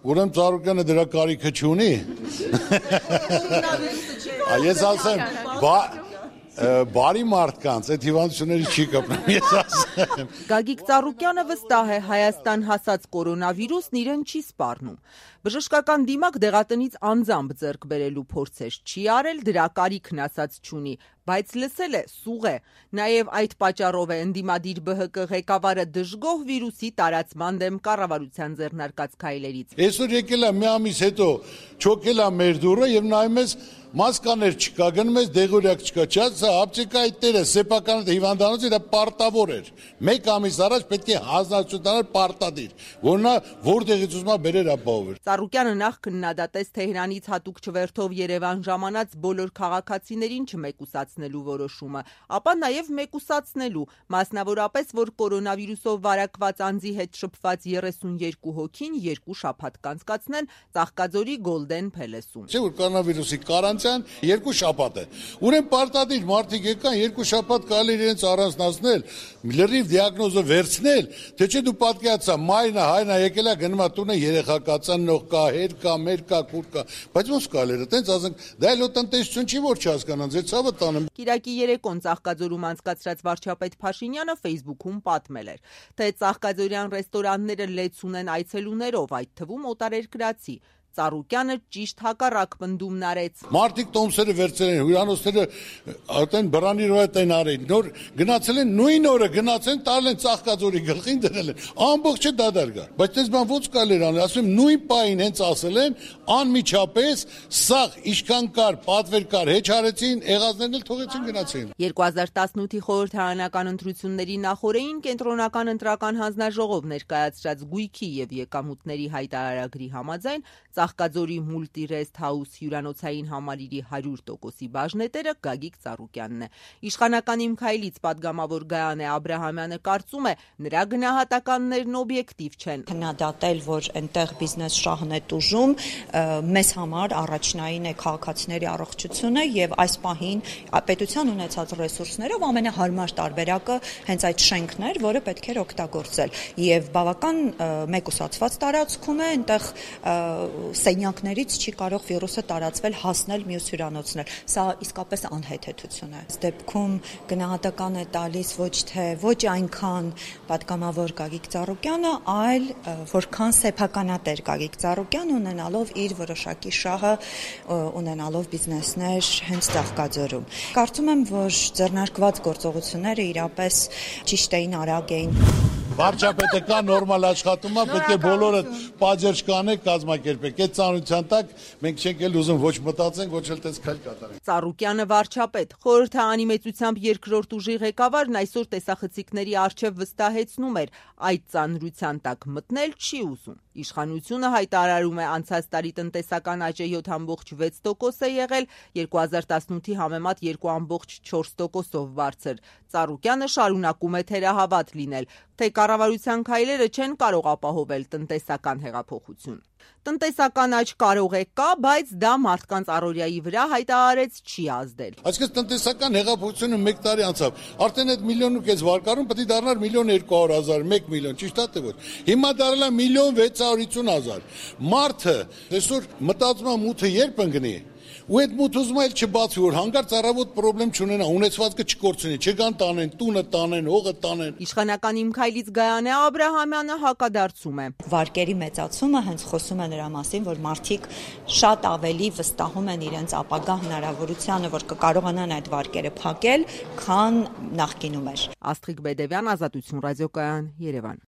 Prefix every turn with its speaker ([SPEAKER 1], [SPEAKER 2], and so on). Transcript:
[SPEAKER 1] Ուրեմն Ծառուկյանը դրա կարիքը չունի։ Ես ասեմ, բարի մարդկանց այդ հիվանդությունների չի կապնում, ես ասեմ։
[SPEAKER 2] Գագիկ Ծառուկյանը վստահ է, Հայաստան հասած կորոնավիրուսն իրեն չի սպառնում։ Բժշկական դիմակ դեղատնից անձամբ ձեռք բերելու փորձեր չի արել, դրա կարիքն ասած չունի, բայց լսել է, սուղ է։ Նաև այդ պատճառով է ընդդիմադիր ԲՀԿ ղեկավարը դժգոհ վիրուսի տարածման դեմ կառավարության ձեռնարկած քայլերից։
[SPEAKER 1] Այսօր եկել է մի ամիս հետո, չոքել է մեր դուռը եւ նայում ես մասկաներ չկա, գնում ես դեղորյակ չկա, չասա ապտեկայի տերը, սեփական հիվանդանոցը դա պարտավոր էր։ Մեկ ամիս առաջ պետք է հանձնարարություն պարտադիր, որ նա որտեղից ուզում է բերեր ապահովել։
[SPEAKER 2] Ծառուկյանը նախ քննադատեց Թեհրանից հատուկ չվերթով Երևան ժամանած բոլոր քաղաքացիներին չմեկուսացնելու որոշումը, ապա նաև մեկուսացնելու, մասնավորապես, որ կորոնավիրուսով վարակված անձի հետ շփված 32 հոգին 2 շաբաթ կանցկացնեն Ծաղկաձորի Գոլդեն Փելեսում։
[SPEAKER 1] Չէ՞ որ կորոնավիրուսի կարանտին 2 շաբաթ է։ Ուրեմն պարտադիր մարդիկ եկան 2 շաբաթ կարելի իրենց առանձնացնել, լրիվ դիագնոզը վերցնել, թե չէ դու պատկերացա մայրն է, հայրն է եկել է գնում է տունը երեխա կա, ծնող կա, հեր կա, մեր կա, քուր կա, բայց ոնց կարելի է, տենց ասենք, դա էլ տնտեսություն չի որ չհասկանան, ձեր ցավը տանեմ։
[SPEAKER 2] Կիրակի երեկոն Ծաղկաձորում անցկացրած վարչապետ Փաշինյանը Facebook-ում պատմել էր, թե ծաղկաձորյան ռեստորանները լեց ունեն այցելուներով, այդ թվում օտարերկրացի։ Ծառուկյանը ճիշտ հակառակ պնդումն արեց։
[SPEAKER 1] Մարդիկ տոմսերը վերցրել են, հյուրանոցները այդեն բռանի ռոյետ են արել, նոր գնացել են նույն օրը գնացել տալ են Ծաղկաձորի գլխին դրել են, ամբողջը դադար գա։ Բայց դες բան ոնց կարելի անել, ասում նույն պահին հենց ասել են, անմիջապես սաղ իշքան կար, պատվեր կար, հեչ արեցին, եղածներն էլ թողեցին գնացին։
[SPEAKER 2] 2018-ի խորհրդարանական ընտրությունների նախօրեին կենտրոնական ընտրական հանձնաժողով ներկայացրած գույքի եւ եկամուտների հայտարարագրի համաձայն Ծաղկաձորի Multi-Rest House հյուրանոցային համալիրի 100%-ի բաժնետերը Գագիկ Ծառուկյանն է։ Իշխանական Իմ քայլից падգամավոր Գայանե Աբրահամյանը կարծում է, նրա գնահատականներն օբյեկտիվ չեն։
[SPEAKER 3] Քննադատել, որ այնտեղ բիզնես շահն է տուժում, մեզ համար առաջնային է քաղաքացիների առողջությունը եւ այս պահին պետության ունեցած ռեսուրսներով ամենահարմար տարբերակը հենց այդ շենքն էր, որը պետք էր օգտագործել եւ բավական մեկուսացված տարածքում է, այնտեղ սենյակներից չի կարող վիրուսը տարածվել, հասնել մյուս հյուրանոցներ։ Սա իսկապես անհեթեթություն է։ Այս դեպքում գնահատական է տալիս ոչ այնքան падգամավոր Գագիկ Ծառուկյանը, այլ որքան սեփականատեր Գագիկ Ծառուկյանը ունենալով իր որոշակի շահը, ունենալով բիզնեսներ հենց Ծաղկաձորում։ Կարծում եմ, որ ձեռնարկված գործողությունները իրապես ճիշտ էին, արագ էին։
[SPEAKER 1] Վարչապետը կա նորմալ աշխատում է, պետք է բոլորը պատժեր կանեք, կազմակերպեք։ Այդ ծանրության տակ մենք չենք էլ ուզում ոչ մտածենք, ոչ էլ տես քայլ կատարենք։
[SPEAKER 2] Ծառուկյանը վարչապետ, խորհրդարանի մեծությամբ երկրորդ ուժի ղեկավարն այսօր տեսախցիկների առջև վստահեցնում էր, այդ ծանրության տակ մտնել չի ուզում։ Իշխանությունը հայտարարում է անցած տարի տնտեսական աճը 7.6% է եղել, 2018-ի համեմատ 2.4%-ով բարձր։ Ծառուկյանը շարունակում է թերահավատ լինել, թե կառավարության քայլերը չեն կարող ապահովել տնտեսական հեղափոխություն։ Տնտեսական աճ կարող է կա, բայց դա մարդկանց առօրյայի վրա հայտարարեց չի ազդել։
[SPEAKER 1] Այսինքն տնտեսական հեղափոխությունը 1 տարի անցավ։ Արդեն այդ 1.5 միլիոն վարկառում պետք է դառնար 1.200.000, 1 միլիոն, ճիշտ է թե ոչ։ Հիմա դառել է 1.650.000։ Մարդը այսօր մտածում է մութը երբ ընկնի։ Ու այդ մութ ուզում էլ չբացի, որ հանկարծ առավոտ պրոբլեմ չունենա, ունեցվածքը չկորցնի, չգան տանեն, տունը տանեն, հողը տանեն։
[SPEAKER 2] Իշխանական Իմ քայլից Գայանե Աբրահամյանը հակադարձում է։
[SPEAKER 3] Վարկերի մեծացումը հենց խոսում է նրա մասին, որ մարդիկ շատ ավելի վստահում են իրենց ապագա հնարավորությանը, որ կկարողանան այդ վարկերը փակել, քան նախկինում էր։
[SPEAKER 2] Աստղիկ Բեդևյան, Ազատություն ռադիոկայան, Երևան։